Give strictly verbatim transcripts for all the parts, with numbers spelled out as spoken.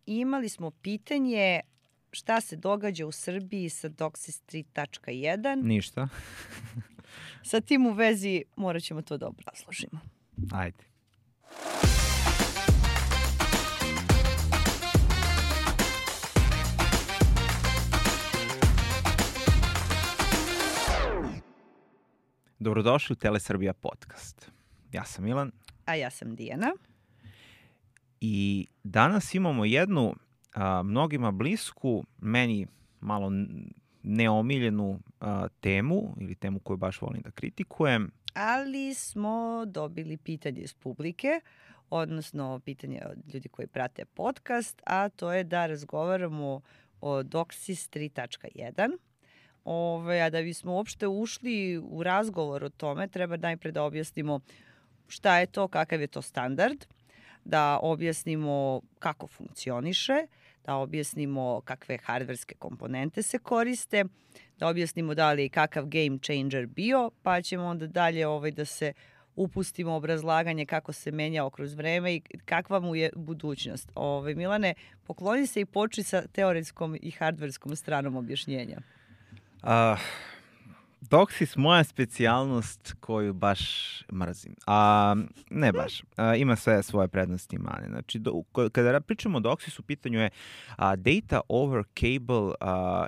imali smo pitanje šta se događa u Srbiji sa DOCSIS tri tačka jedan. Ništa. Sa tim u vezi morat ćemo to da obrazložimo. Ajde. Dobrodošli u Telesrbija podcast. Ja sam Milan. A ja sam Dijana. I danas imamo jednu a, mnogima blisku, meni malo neomiljenu a, temu, ili temu koju baš volim da kritikujem. Ali smo dobili pitanje iz publike, odnosno pitanje od ljudi koji prate podcast, a to je da razgovaramo o DOCSIS tri tačka jedan. Ove, a da bismo uopšte ušli u razgovor o tome, treba najpre da objasnimo šta je to, kakav je to standard, da objasnimo kako funkcioniše, da objasnimo kakve hardverske komponente se koriste, da objasnimo da li je kakav game changer bio, pa ćemo onda dalje ovaj, da se upustimo obrazlaganje kako se menjao kroz vreme i kakva mu je budućnost. Ove, Milane, pokloni se i počni sa teoretskom i hardverskom stranom objašnjenja. Uh, DOCSIS moja specijalnost koju baš mrzim. A, ne baš. A, ima sve svoje prednosti i mane. Znači, do, kada pričamo o DOCSIS, u pitanju je a, Data over Cable a,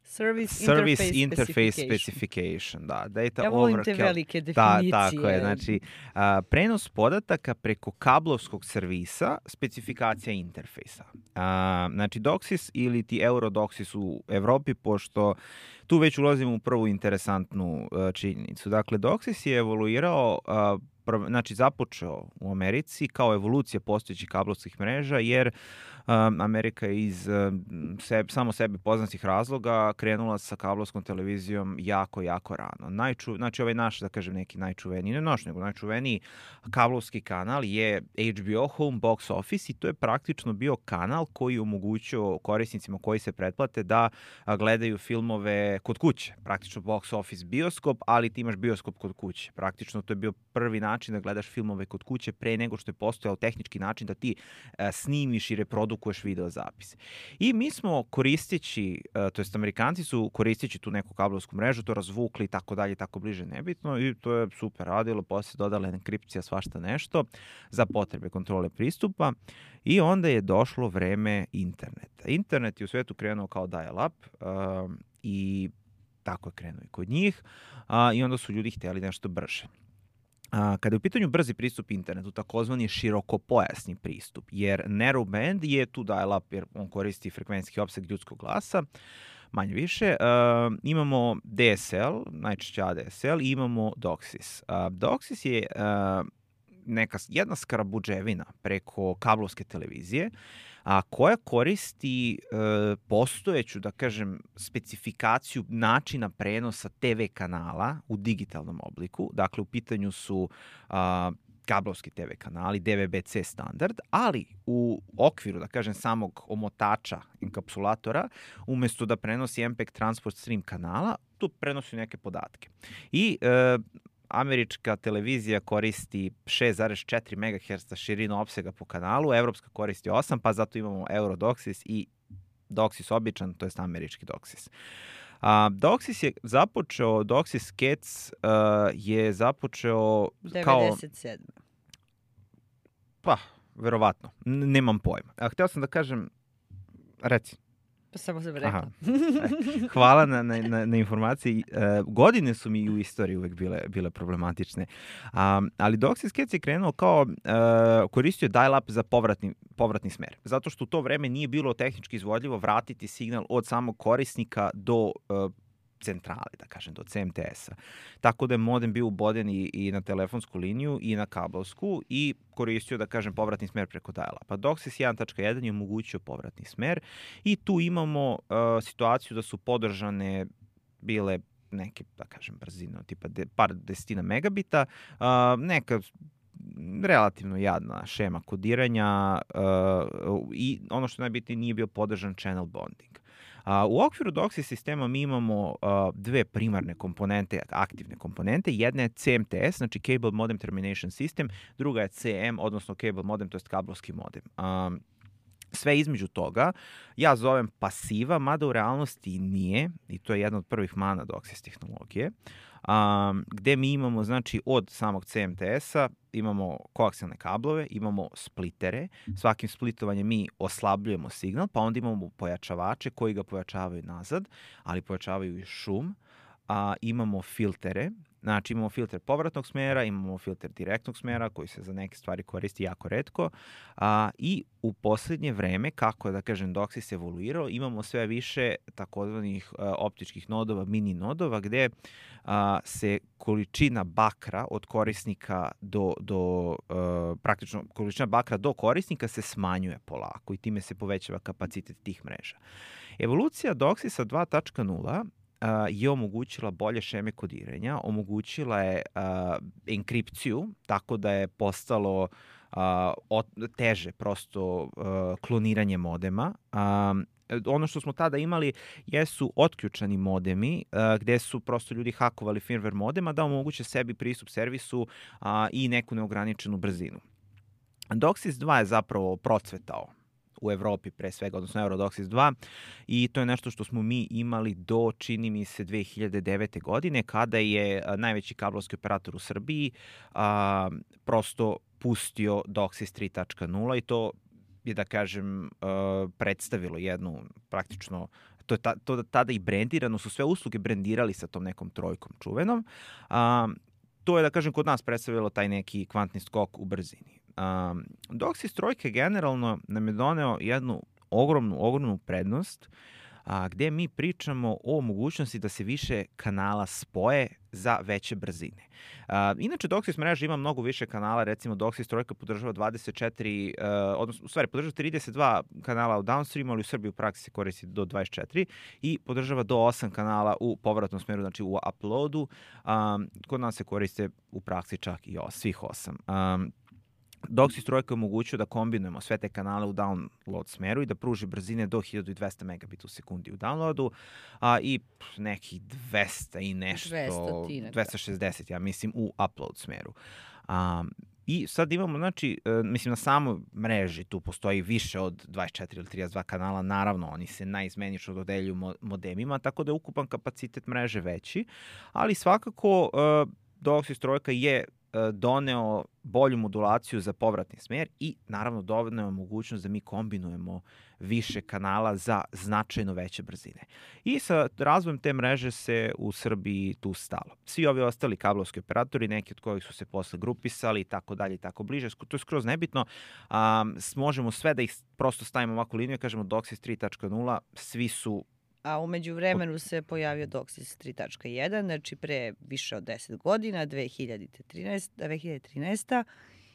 Service, Service Interface, Interface Specification. Specification. Da, data Ja volim over te cable. velike definicije. Da, tako je. Znači, a, prenos podataka preko kablovskog servisa, specifikacija interfejsa. A, znači, DOCSIS ili ti Eurodocsis u Evropi, pošto tu već ulazimo u prvu interesantnu uh, činjenicu. Dakle, DOCSIS je evoluirao, uh, prv, znači započeo u Americi kao evolucija postojećih kablovskih mreža, jer um, Amerika je iz uh, seb, samo sebi poznatih razloga krenula sa kablovskom televizijom jako, jako rano. Najču, znači, ovaj naš, da kažem, neki najčuveniji, ne naš, nego najčuveniji kablovski kanal je H B O Home Box Office i to je praktično bio kanal koji omogućio korisnicima koji se pretplate da a, gledaju filmove kod kuće. Praktično box office bioskop, ali ti imaš bioskop kod kuće. Praktično to je bio prvi način da gledaš filmove kod kuće pre nego što je postojao tehnički način da ti a, snimiš i reprodukuješ video zapise. I mi smo koristeći, a, to jest Amerikanci su koristeći tu neku kablovsku mrežu, to razvukli i tako dalje, tako bliže nebitno i to je super radilo, posle dodala enkripcija, svašta nešto za potrebe kontrole pristupa i onda je došlo vreme interneta. Internet je u svetu krenuo kao dial-up uh, i tako je krenuo i kod njih uh, i onda su ljudi htjeli nešto brže. A, kada je u pitanju brzi pristup internetu, takozvani širokopojasni pristup, jer narrowband je tu dial-up jer on koristi frekvencijski opseg ljudskog glasa, manje više. Uh, imamo D S L, najčešće A D S L i imamo DOCSIS. Uh, DOCSIS je uh, neka, jedna skrabuđevina preko kablovske televizije, a koja koristi e, postojeću, da kažem, specifikaciju načina prenosa T V kanala u digitalnom obliku. Dakle, u pitanju su a, kablovski T V kanali, D V B C standard, ali u okviru, da kažem, samog omotača enkapsulatora, umesto da prenosi M P E G transport stream kanala, tu prenosi neke podatke. I e, američka televizija koristi šest zarez četiri megaherca širinu opsega po kanalu, evropska koristi osam, pa zato imamo Eurodocsis i DOCSIS običan, to jest američki DOCSIS. A, DOCSIS je započeo, DOCSIS Cats uh, je započeo kao... devedeset sedme Pa, verovatno, N- nemam pojma. A, hteo sam da kažem, reci. Pa samo sam rekla. Hvala na, na, na informaciji. E, godine su mi u istoriji uvek bile, bile problematične. Um, ali DOCSIS Cats je krenuo kao, uh, koristio dial-up za povratni, povratni smer. Zato što u to vreme nije bilo tehnički izvodljivo vratiti signal od samog korisnika do uh, centrale, da kažem, do C M T S-a. Tako da je modem bio uboden i, i na telefonsku liniju i na kablovsku i koristio, da kažem, povratni smer preko dial-upa. DOCSIS jedan tačka jedan je omogućio povratni smer i tu imamo uh, situaciju da su podržane bile neke, da kažem, brzine, tipa de, par desetina megabita, uh, neka relativno jadna šema kodiranja uh, i ono što najbitnije nije bio podržan channel bonding. Uh, u okviru DOCSIS sistema mi imamo uh, dve primarne komponente, aktivne komponente. Jedna je C M T S, znači Cable Modem Termination System, druga je C M, odnosno Cable Modem, to jest kablovski modem. Um, sve između toga ja zovem pasiva, mada u realnosti nije, i to je jedna od prvih mana DOCSIS tehnologije, um, gde mi imamo, znači, od samog C M T S-a imamo koaksijalne kablove, imamo splitere, svakim splitovanjem mi oslabljujemo signal, pa onda imamo pojačavače koji ga pojačavaju nazad, ali pojačavaju i šum, a imamo filtere. Znači imamo filter povratnog smera, imamo filter direktnog smera koji se za neke stvari koristi jako retko, a, i u poslednje vreme, kako da kažem DOCSIS evoluirao, imamo sve više takozvanih a, optičkih nodova, mini nodova, gde a, se količina bakra od korisnika do, do a, praktično količina bakra do korisnika se smanjuje polako i time se povećava kapacitet tih mreža. Evolucija DOCSIS-a dva tačka nula Uh, je omogućila bolje šeme kodiranja, omogućila je uh, enkripciju, tako da je postalo uh, od, teže prosto uh, kloniranje modema. Um, ono što smo tada imali jesu otključani modemi, uh, gde su prosto ljudi hakovali firmware modema da omoguće sebi pristup servisu uh, i neku neograničenu brzinu. DOCSIS dva je zapravo procvetao u Evropi pre svega, odnosno EuroDOCSIS dva, i to je nešto što smo mi imali do, čini mi se, dve hiljade devete. godine, kada je a, najveći kablovski operator u Srbiji a, prosto pustio DOCSIS tri tačka nula i to je, da kažem, a, predstavilo jednu praktično, to je ta, to tada i brendirano, su sve usluge brendirali sa tom nekom trojkom čuvenom. A, to je, da kažem, kod nas predstavilo taj neki kvantni skok u brzini. Um, DOCSIS trojke generalno nam je doneo jednu ogromnu, ogromnu prednost, a, gde mi pričamo o mogućnosti da se više kanala spoje za veće brzine. A, inače, DOCSIS mreža ima mnogo više kanala, recimo DOCSIS trojka podržava dvadeset četiri, uh, odnosno, u stvari, podržava trideset dva kanala u downstreamu, ali u Srbiji u praksi se koristi do dvadeset četiri i podržava do osam kanala u povratnom smeru, znači u uploadu. Um, kod nas se koriste u praksi čak i os, svih osam. Um, DOCSIS trojka je omogućio da kombinujemo sve te kanale u download smeru i da pruži brzine do hiljadu dvesta megabita u sekundi u downloadu, a, i nekih dvesta i nešto, dvesta šezdeset, ja mislim, u upload smeru. A, I sad imamo, znači, mislim, na samoj mreži tu postoji više od dvadeset četiri ili trideset dva kanala, naravno, oni se najizmenično dodeljuju modemima, tako da je ukupan kapacitet mreže veći, ali svakako DOCSIS trojka je doneo bolju modulaciju za povratni smer i naravno doneo mogućnost da mi kombinujemo više kanala za značajno veće brzine. I sa razvojem te mreže se u Srbiji tu stalo. Svi ovi ostali kablovski operatori, neki od kojih su se posle grupisali i tako dalje i tako bliže, to je skroz nebitno, um, možemo sve da ih prosto stavimo ovako liniju i kažemo DOCSIS tri tačka nula, svi su. A umeđu vremenu se pojavio DOCSIS tri tačka jedan, znači pre više od deset godina, dve hiljade trinaeste.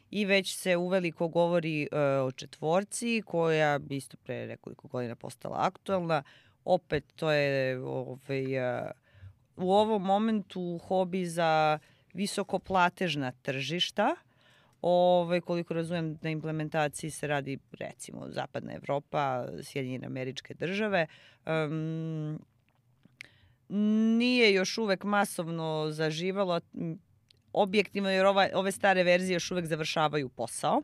I već se uveliko govori uh, o četvorci, koja bi isto pre nekoliko godina postala aktualna. Opet to je ovaj, uh, u ovom momentu hobi za visokoplatežna tržišta. Ove, koliko razumem, na implementaciji se radi, recimo, Zapadna Evropa, Sjedinjene Američke Države. Um, nije još uvek masovno zaživalo, objektivno, jer ova, ove stare verzije još uvek završavaju posao.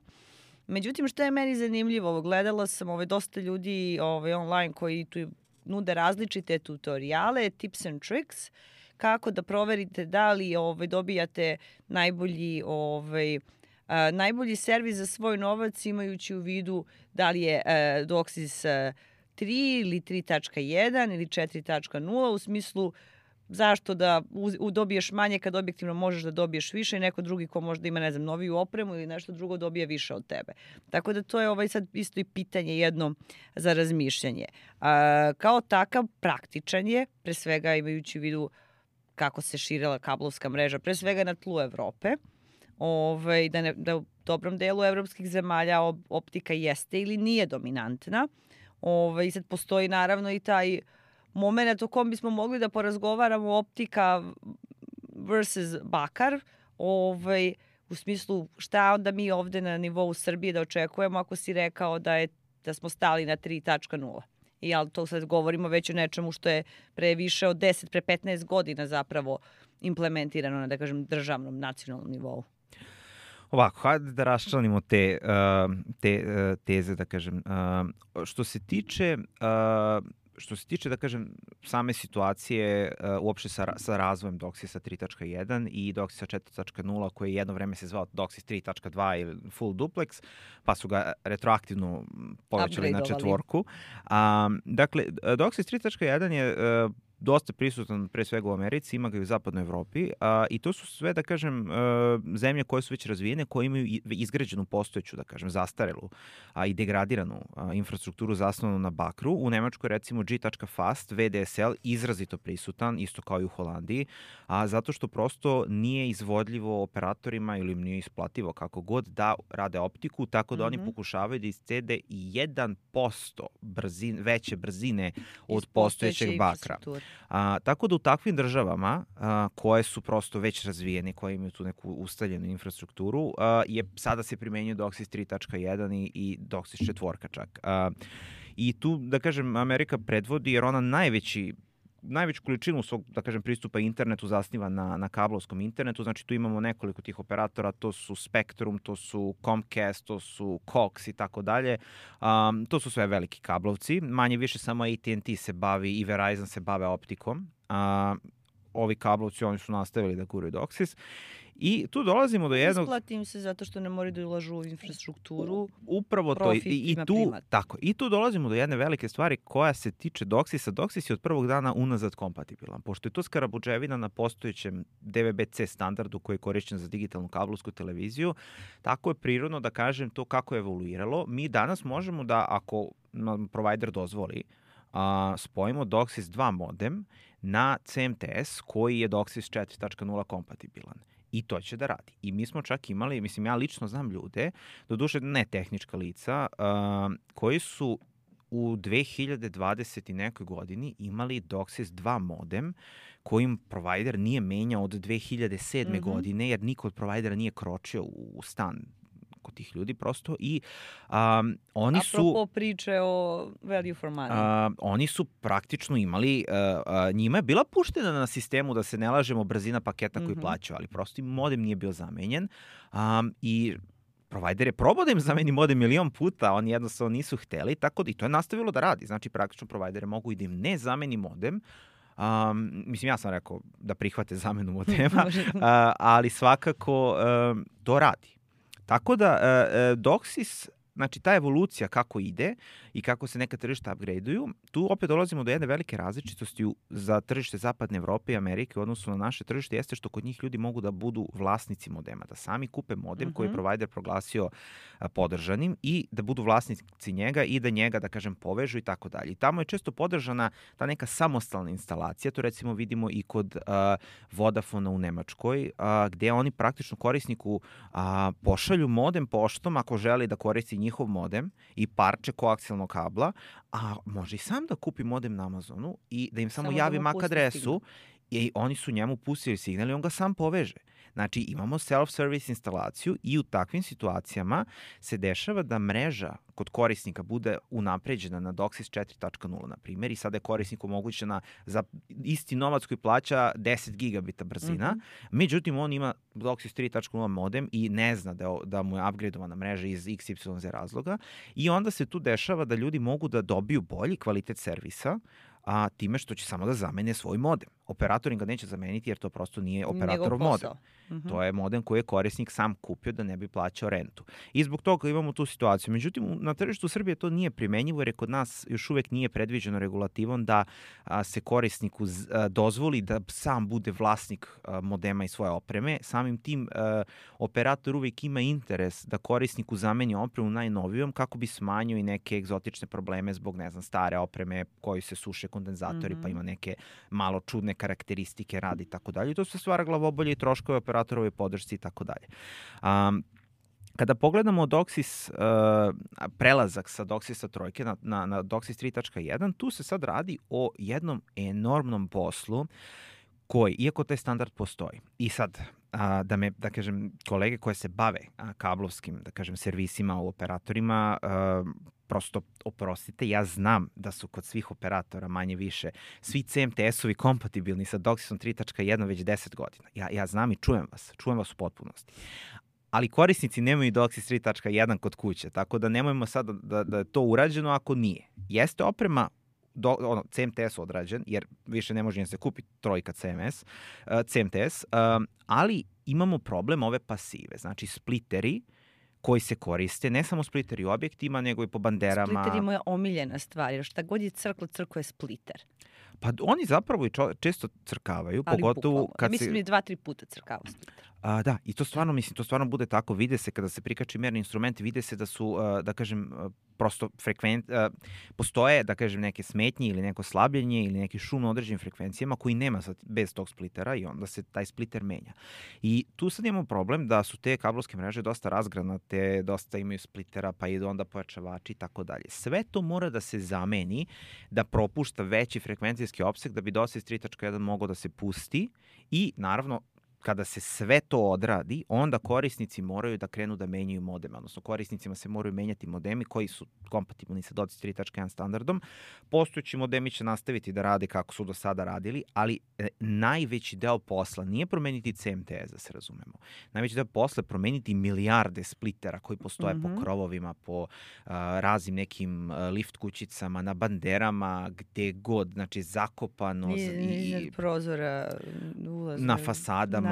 Međutim, što je meni zanimljivo, gledala sam ove, dosta ljudi ove, online koji tu nude različite tutoriale, tips and tricks, kako da proverite da li ove, dobijate najbolji ovaj, Uh, najbolji servis za svoj novac, imajući u vidu da li je uh, DOCSIS tri ili tri tačka jedan ili četiri tačka nula, u smislu zašto da u, u dobiješ manje kad objektivno možeš da dobiješ više i neko drugi ko možda ima, ne znam, noviju opremu ili nešto drugo dobije više od tebe. Tako da to je ovaj sad isto i pitanje jedno za razmišljanje. Uh, kao takav praktičan je, pre svega imajući u vidu kako se širila kablovska mreža, pre svega na tlu Evrope. Ove, da, ne, da u dobrom delu evropskih zemalja optika jeste ili nije dominantna. Ove, I sad postoji naravno i taj moment o kom bismo mogli da porazgovaramo, optika versus bakar, ove, u smislu šta onda mi ovde na nivou Srbije da očekujemo ako si rekao da, je, da smo stali na tri tačka nula. I ali to sad govorimo već o nečemu što je pre više od deset, pre petnaest godina zapravo implementirano na, da kažem, državnom, nacionalnom nivou. Ovako, hajde da raščlanimo te, uh, te uh, teze, da kažem. Uh, što se tiče... Uh, Što se tiče, da kažem, same situacije uh, uopšte sa, sa razvojem Doxisa tri tačka jedan i Doxisa četiri tačka nula, koji jedno vreme se zvao Doxis tri tačka dva ili Full Duplex, pa su ga retroaktivno povećali na četvorku. Um, dakle, Doxis tri tačka jedan je uh, dosta prisutan pre svega u Americi, ima ga i u zapadnoj Evropi a, i to su sve, da kažem, a, zemlje koje su već razvijene, koje imaju izgrađenu postojeću, da kažem, zastarelu a, i degradiranu a, infrastrukturu zasnovanu na bakru. U Nemačkoj, recimo, G.fast, V D S L, izrazito prisutan, isto kao i u Holandiji, a zato što prosto nije izvodljivo operatorima ili im nije isplativo kako god da rade optiku, tako da mm-hmm. oni pokušavaju da iscede i jedan posto brzine, veće brzine od postojećeg bakra. A, tako da u takvim državama a, koje su prosto već razvijene, koje imaju tu neku ustaljenu infrastrukturu, a, je sada se primenjuje Doxis tri tačka jedan i, i Doxis četvorka čak. A, I tu, da kažem, Amerika predvodi jer ona najveći najveću količinu svog, da kažem, pristupa internetu zasniva na, na kablovskom internetu. Znači tu imamo nekoliko tih operatora, to su Spectrum, to su Comcast, to su Cox i tako dalje. Um, to su sve veliki kablovci. Manje više samo A T and T se bavi i Verizon se bave optikom. Uh, ovi kablovci, oni su nastavili da guraju Doxis. I tu dolazimo do jednog... Isplati im se zato što ne moraju da ulažu u infrastrukturu. Upravo to. I, i, tu, primat. tako, I tu dolazimo do jedne velike stvari koja se tiče Doxisa. Doxis je od prvog dana unazad kompatibilan. Pošto je to skarabuđevina na postojećem D V B C standardu koji je korišćen za digitalnu kablovsku televiziju, tako je prirodno da kažem to kako je evoluiralo. Mi danas možemo da, ako nam provider dozvoli, a, spojimo Doxis dva modem na C M T S koji je Doxis četiri tačka nula kompatibilan. I to će da radi. I mi smo čak imali, mislim, ja lično znam ljude, doduše ne tehnička lica, uh, koji su u dve hiljade dvadesete nekoj godini imali Doxis dva modem kojim provider nije menjao od dve hiljade sedme mm-hmm. godine, jer niko od providera nije kročio u stan kod tih ljudi prosto i um, oni su... Apropo priče o value for money. Uh, oni su praktično imali, uh, uh, njima je bila puštena na sistemu, da se ne lažemo, brzina paketa koji mm-hmm. plaćaju, ali prosto im modem nije bio zamenjen um, i provider je probao da im zameni modem milion puta, oni jednostavno nisu hteli, tako da i to je nastavilo da radi. Znači praktično providere mogu i da im ne zameni modem. Um, mislim, ja sam rekao da prihvate zamenu modema, uh, ali svakako uh, to radi. Tako da, uh, uh, Doxis, znači ta evolucija kako ide i kako se neka tržišta upgradeuju, tu opet dolazimo do jedne velike različitosti za tržište Zapadne Evrope i Amerike u odnosu na naše tržište, jeste što kod njih ljudi mogu da budu vlasnici modema, da sami kupe modem mm-hmm. koji je provider proglasio a, podržanim i da budu vlasnici njega i da njega, da kažem, povežu i tako dalje. I tamo je često podržana ta neka samostalna instalacija, to recimo vidimo i kod a, Vodafona u Nemačkoj, a, gde oni praktično korisniku a, pošalju modem poštom ako želi da koristi njihov modem i parče koaksijalnog kabla, a može i sam da kupi modem na Amazonu i da im samo, samo javi M A C adresu i oni su njemu pustili signal i on ga sam poveže. Znači imamo self-service instalaciju i u takvim situacijama se dešava da mreža kod korisnika bude unapređena na Doxis četiri tačka nula, na primjer, i sada je korisniku omogućena za isti novac koji plaća deset gigabita brzina. Mm-hmm. Međutim, on ima Doxis tri tačka nula modem i ne zna da, da mu je upgradeovana mreža iz iks ipsilon zet razloga i onda se tu dešava da ljudi mogu da dobiju bolji kvalitet servisa, a time što će samo da zamene svoj modem. Operator im ga neće zameniti jer to prosto nije operatorov modem. Mm-hmm. To je modem koji je korisnik sam kupio da ne bi plaćao rentu. I zbog toga imamo tu situaciju. Međutim, na tržištu Srbije to nije primenjivo jer je kod nas još uvek nije predviđeno regulativom da a, se korisniku z, a, dozvoli da sam bude vlasnik a, modema i svoje opreme. Samim tim a, operator uvek ima interes da korisniku zameni opremu najnovijom kako bi smanjio i neke egzotične probleme zbog, ne znam, stare opreme koji se suše kondenzatori, mm-hmm. pa ima neke malo čudne karakteristike radi i tako dalje. To se stvara glavobolje i troškove operatorove podršci i tako dalje. Um, kada pogledamo Doxis, uh, prelazak sa Doxisa trojke na, na, na Doxis tri tačka jedan, tu se sad radi o jednom enormnom poslu koji, iako taj standard postoji, i sad a, da me, da kažem, kolege koje se bave a, kablovskim, da kažem, servisima u operatorima, a, prosto oprostite, ja znam da su kod svih operatora manje više svi C M T S-ovi kompatibilni sa Doxisom tri tačka jedan već deset godina. Ja, ja znam i čujem vas, čujem vas u potpunosti. ali korisnici nemaju DOCSIS tri tačka jedan kod kuće, tako da nemojmo sad da, da, da je to urađeno ako nije. Jeste oprema do, ono, C M T S odrađen, jer više ne može da se kupi trojka C M S, uh, C M T S, um, ali imamo problem ove pasive, znači spliteri koji se koriste, ne samo spliteri u objektima, nego i po banderama. Spliter je moja omiljena stvar, jer šta god je crklo, crklo je spliter. Pa oni zapravo i čo, često crkavaju, ali pogotovo bukvalno. kad Mislim se... mi dva, tri puta crkava spliter. A, da, i to stvarno, mislim, to stvarno bude tako, vide se kada se prikači merni instrumenti, vide se da su, uh, da kažem, uh, prosto frekvent, uh, postoje, da kažem, neke smetnje ili neko slabljenje ili neki šum na određenim frekvencijama koji nema sad, bez tog splitera i onda se taj spliter menja. I tu sad imamo problem da su te kablovske mreže dosta razgranate, dosta imaju splitera, pa idu onda pojačavači i tako dalje. Sve to mora da se zameni, da propušta veći frekvencijski opseg da bi DOCSIS tri tačka jedan mogao da se pusti i naravno kada se sve to odradi, onda korisnici moraju da krenu da menjaju modeme, odnosno korisnicima se moraju menjati modemi koji su kompatibilni sa DOCSIS tri tačka jedan standardom. Postojeći modemi će nastaviti da rade kako su do sada radili, ali e, najveći deo posla nije promeniti C M T S, da se razumemo. Najveći deo posla je promeniti milijarde splitera koji postoje mm-hmm. po krovovima, po a, raznim nekim a, lift kućicama, na banderama, gde god, znači zakopano. I, i, i prozora, ulazne, na fasadama,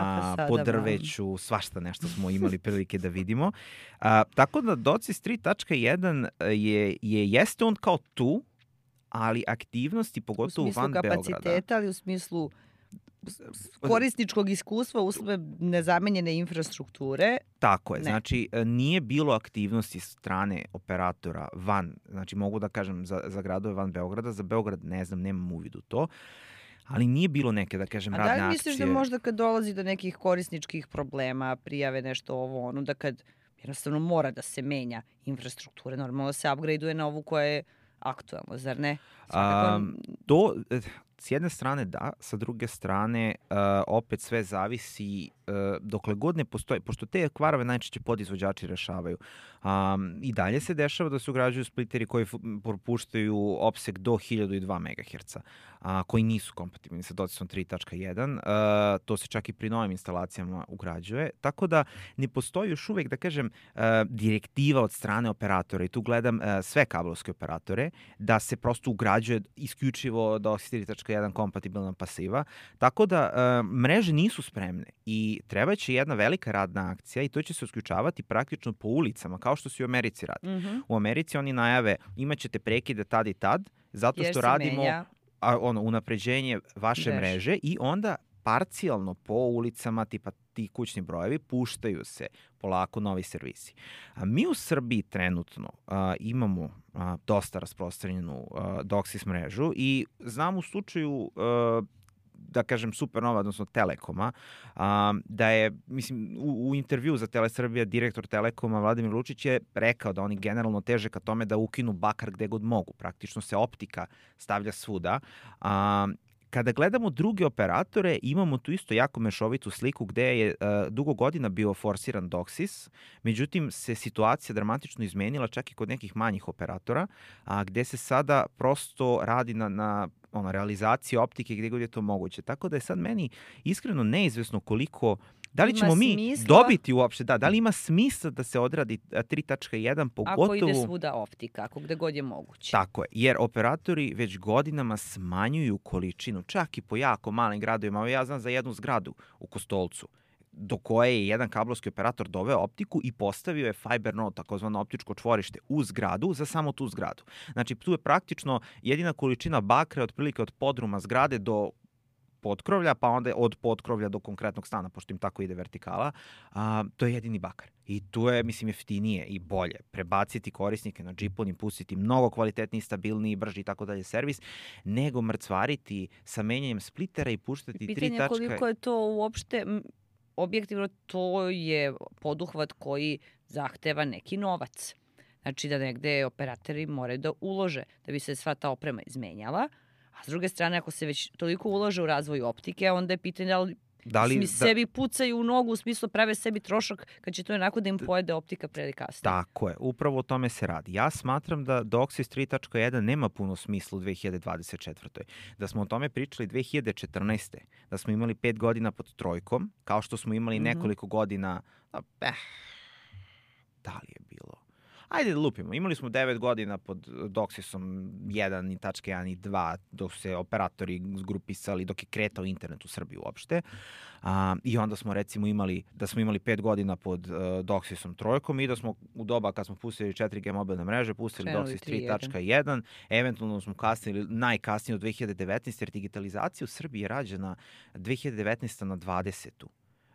po drveću, svašta nešto smo imali prilike da vidimo. A, tako da DOCSIS tri tačka jedan je, je, jeste on kao tu, ali aktivnosti, pogotovo van Beograda. U smislu kapaciteta, ali u smislu korisničkog iskustva, uslove nezamenjene infrastrukture. Tako je, ne. Znači nije bilo aktivnosti strane operatora van, znači mogu da kažem za, za gradove van Beograda, za Beograd ne znam, nemam uvid u to, ali nije bilo neke, da kažem, radne akcije. A da li misliš akcije... da možda kad dolazi do nekih korisničkih problema, prijave nešto ovo, ono, da kad jednostavno mora da se menja infrastruktura, normalno se upgradeuje na ovu koja je aktualna, zar ne? Svakako... Um, to, s jedne strane da, sa druge strane uh, opet sve zavisi uh, dokle god ne postoji, pošto te kvarove najčešće podizvođači rešavaju. Um, I dalje se dešava da se ugrađuju spliteri koji propuštaju opseg do hiljadu dva megaherca, a, koji nisu kompatibilni sa DOCSISom tri tačka jedan. Uh, to se čak i pri novim instalacijama ugrađuje. Tako da ne postoji još uvek, da kažem, uh, direktiva od strane operatora, i tu gledam uh, sve kablovske operatore, da se prosto ugrađuje isključivo DOCSIS tri tačka jedan kompatibilna pasiva. Tako da uh, mreže nisu spremne i treba će jedna velika radna akcija i to će se isključavati praktično po ulicama, kao što se u Americi radi. Mm-hmm. U Americi oni najave imaćete prekide tad i tad, zato što radimo a, ono, unapređenje vaše Veš. mreže i onda parcijalno po ulicama, tipa ti kućni brojevi, puštaju se polako novi servisi. A mi u Srbiji trenutno a, imamo a, dosta rasprostranjenu a, DOCSIS mrežu i znam u slučaju a, da kažem Supernova, odnosno Telekoma, a, da je, mislim, u, u intervju za Telesrbija direktor Telekoma Vladimir Lučić je rekao da oni generalno teže ka tome da ukinu bakar gde god mogu. Praktično se optika stavlja svuda. A, Kada gledamo druge operatore, imamo tu isto jako mešovitu sliku gde je uh, dugo godina bio forsiran DOCSIS, međutim se situacija dramatično izmenila čak i kod nekih manjih operatora, a gde se sada prosto radi na, na ono, realizaciji optike gde god je to moguće. Tako da je sad meni iskreno neizvesno koliko da li ćemo mi smisla, dobiti uopšte, da, da li ima smisla da se odradi tri tačka jedan, pogotovo... Ako ide svuda optika, ako gde god je moguće. Tako je, jer operatori već godinama smanjuju količinu, čak i po jako malim gradovima. Ja znam za jednu zgradu u Kostolcu, do koje je jedan kablovski operator doveo optiku i postavio je fiber node, takozvano optičko čvorište, u zgradu za samo tu zgradu. Znači, tu je praktično jedina količina bakra otprilike od podruma zgrade do potkrovlja, pa onda od potkrovlja do konkretnog stana, pošto im tako ide vertikala, a, to je jedini bakar. I tu je, mislim, jeftinije i bolje prebaciti korisnike na džipon i pustiti mnogo kvalitetniji, stabilniji, brži i tako dalje servis, nego mrcvariti sa menjanjem splitera i puštati tri tačke... Pitanje koliko je to uopšte... Objektivno, to je poduhvat koji zahteva neki novac. Znači da negde operatori moraju da ulože da bi se sva ta oprema izmenjala. A s druge strane, ako se već toliko ulože u razvoj optike, onda je pitanje da li Da li, Smi da... sebi pucaju u nogu, u smislu prave sebi trošak kad će to onako da im pojede optika pre ili kasnije. Tako je, upravo o tome se radi. Ja smatram da DOCSIS tri tačka jedan nema puno smisla u dve hiljade dvadeset četvrtoj. Da smo o tome pričali dve hiljade četrnaeste. Da smo imali pet godina pod trojkom, kao što smo imali Mhm. nekoliko godina... Eh, da li je bilo? Ajde da lupimo. Imali smo devet godina pod DOCSISom jedan i tačka jedan i dva, dok su se operatori zgrupisali, dok je kretao internet u Srbiji uopšte. A, I onda smo recimo imali, da smo imali pet godina pod uh, DOCSISom trojkom i da smo u doba kad smo pustili četiri G mobilne mreže, pustili Krenuli DOCSIS tri tačka jedan, eventualno smo kasnili najkasnije od dve hiljade devetnaeste. jer digitalizacija u Srbiji je rađena dve hiljade devetnaeste na dvadesetu.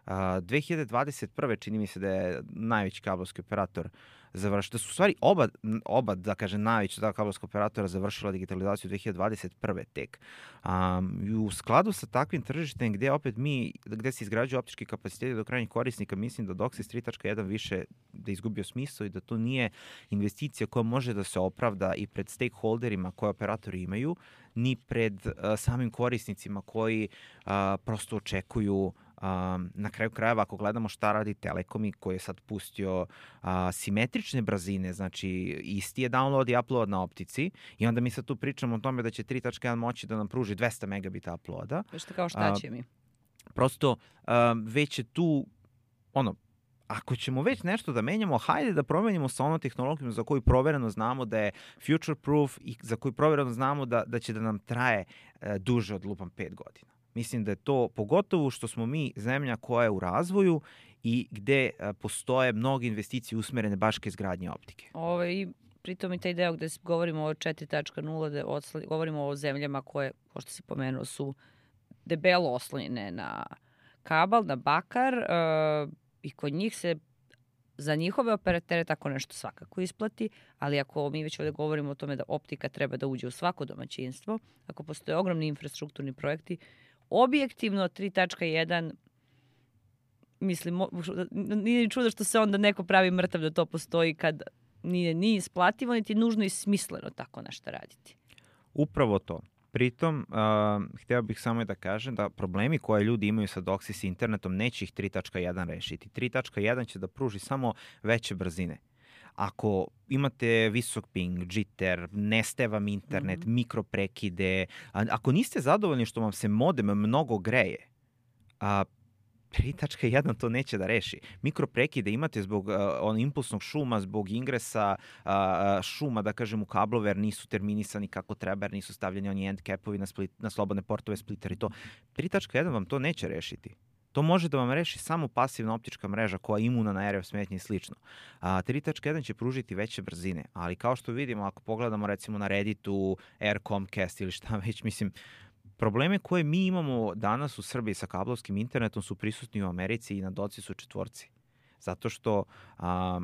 Uh, dve hiljade dvadeset prve čini mi se da je najveći kablovski operator završio, da su u stvari oba, oba da kažem, najveća da, kablovska operatora završila digitalizaciju dve hiljade dvadeset prve tek. Um, I u skladu sa takvim tržištem gde opet mi, gde se izgrađuju optički kapaciteti do krajnjih korisnika, mislim da DOCSIS tri tačka jedan više da izgubio smisao i da to nije investicija koja može da se opravda i pred stakeholderima koje operatori imaju, ni pred uh, samim korisnicima koji uh, prosto očekuju. Um, na kraju krajeva, ako gledamo šta radi Telekom i koji je sad pustio uh, simetrične brzine, znači isti je download i upload na optici i onda mi sad tu pričamo o tome da će tri tačka jedan moći da nam pruži dvesta megabita uploada. Što kao šta će mi? Uh, prosto uh, već je tu, ono, ako ćemo već nešto da menjamo, hajde da promenimo sa onom tehnologijom za koju provereno znamo da je future proof i za koju provereno znamo da, da će da nam traje uh, duže od lupam pet godina. Mislim da je to, pogotovo što smo mi zemlja koja je u razvoju i gde a, postoje mnoge investicije usmerene baš ka izgradnji optike. Ovo, i pritom i taj deo gde govorimo o četiri tačka nula, da odsla, govorimo o zemljama koje, kao što si pomenuo, su debelo oslonjene na kabal, na bakar uh, i kod njih se za njihove operatere tako nešto svakako isplati, ali ako mi već ovde govorimo o tome da optika treba da uđe u svako domaćinstvo, ako postoje ogromni infrastrukturni projekti, objektivno tri tačka jedan, mislim, nije čudo što se onda neko pravi mrtav da to postoji kad nije ni isplativo, niti nužno i smisleno tako nešto raditi. Upravo to. Pritom, uh, hteo bih samo da kažem da problemi koje ljudi imaju sa DOCSIS internetom neće ih tri tačka jedan rešiti. tri tačka jedan će da pruži samo veće brzine. Ako imate visok ping, jitter, nestaje vam internet, mm-hmm. mikroprekide, ako niste zadovoljni što vam se modem mnogo greje, a, tri tačka jedan to neće da reši. Mikroprekide imate zbog uh, on impulsnog šuma, zbog ingresa uh, šuma, da kažem, u kablove, jer nisu terminisani kako treba, jer nisu stavljeni oni end capovi na, split, na slobodne portove splitter i to. tri tačka jedan vam to neće rešiti. To može da vam reši samo pasivna optička mreža koja je imuna na er ef smetnje i slično. A, tri tačka jedan će pružiti veće brzine, ali kao što vidimo, ako pogledamo recimo na Redditu, Air Comcast ili šta već, mislim, probleme koje mi imamo danas u Srbiji sa kablovskim internetom su prisutni u Americi i na DOCSIS-u četvorci. Zato što a,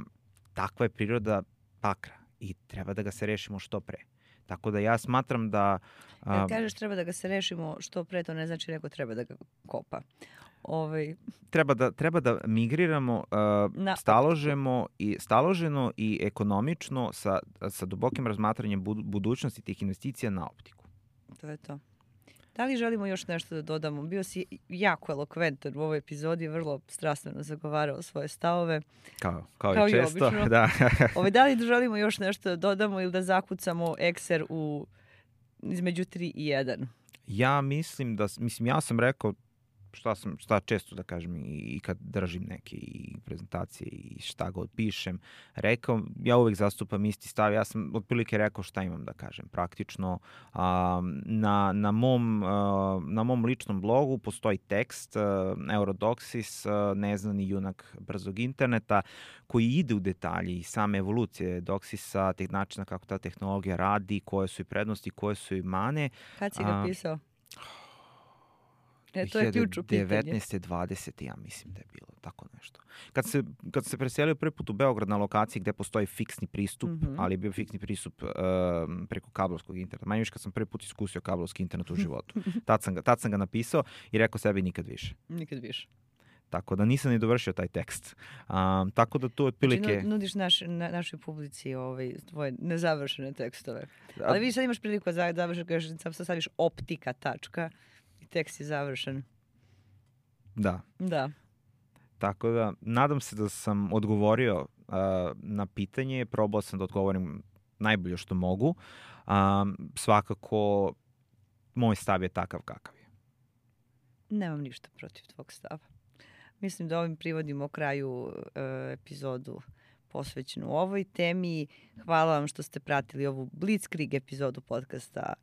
takva je priroda bakra i treba da ga se rešimo što pre. Tako da ja smatram da... A... Kad kažeš treba da ga se rešimo što pre, to ne znači neko treba da ga kopa. Ovaj... Treba, da, treba da migriramo uh, Na... staložemo i, staloženo i ekonomično sa, sa dubokim razmatranjem budućnosti tih investicija na optiku. To je to. Da li želimo još nešto da dodamo? Bio si jako elokventan u ovoj epizodi, vrlo strastveno zagovarao svoje stavove. Kao, kao, kao i često. Obično. Da. Ove, da li želimo još nešto da dodamo ili da zakucamo ekser u, između tri i jedan? Ja mislim da, mislim, ja sam rekao šta sam, šta često da kažem i, i kad držim neke i prezentacije i šta god pišem, rekao, ja uvek zastupam isti stav, ja sam otprilike rekao šta imam da kažem. Praktično a, na, na, mom, a, na mom ličnom blogu postoji tekst a, Eurodoxis, a, neznani junak brzog interneta, koji ide u detalji i same evolucije Doxisa, teh načina kako ta tehnologija radi, koje su i prednosti, koje su i mane. Kad si ga pisao? E, to je ključno pitanje. devetnaeste dvadesete ja mislim da je bilo tako nešto. Kad se, kad se preselio prvi put u Beograd na lokaciji gde postoji fiksni pristup, mm-hmm. ali je bio fiksni pristup uh, preko kablovskog interneta. Manje više kad sam prvi put iskusio kablovski internet u životu. Tad sam ga, tad sam ga napisao i rekao sebi nikad više. Nikad više. Tako da nisam ni dovršio taj tekst. Um, tako da tu otprilike... Znači, nudiš naš, na, našoj publici ovaj, tvoje nezavršene tekstove. Ali vi sad imaš priliku da završiš, sad staviš optika tačka. Tekst je završen. Da. Da. Tako da, nadam se da sam odgovorio uh, na pitanje, probao sam da odgovorim najbolje što mogu. Um, svakako, moj stav je takav kakav je. Nemam ništa protiv tvog stava. Mislim da ovim privodimo kraju uh, epizodu posvećenu ovoj temi. Hvala vam što ste pratili ovu Blitzkrieg epizodu podcasta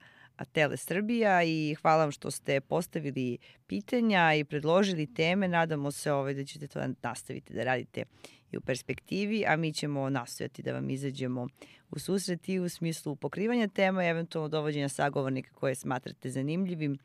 Tele Srbija i hvala vam što ste postavili pitanja i predložili teme. Nadamo se ovaj, da ćete to nastaviti da radite i u perspektivi, a mi ćemo nastojati da vam izađemo u susret i u smislu pokrivanja tema i eventualno dovođenja sagovornika koje smatrate zanimljivim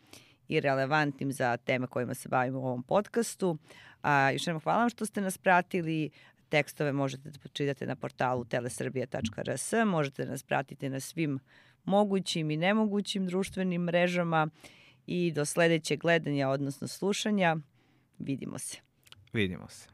i relevantnim za teme kojima se bavimo u ovom podcastu. A, još jednom hvala vam što ste nas pratili. Tekstove možete da pročitate na portalu telesrbija tačka r s. Možete da nas pratite na svim mogućim i nemogućim društvenim mrežama i do sledećeg gledanja, odnosno slušanja. Vidimo se. Vidimo se.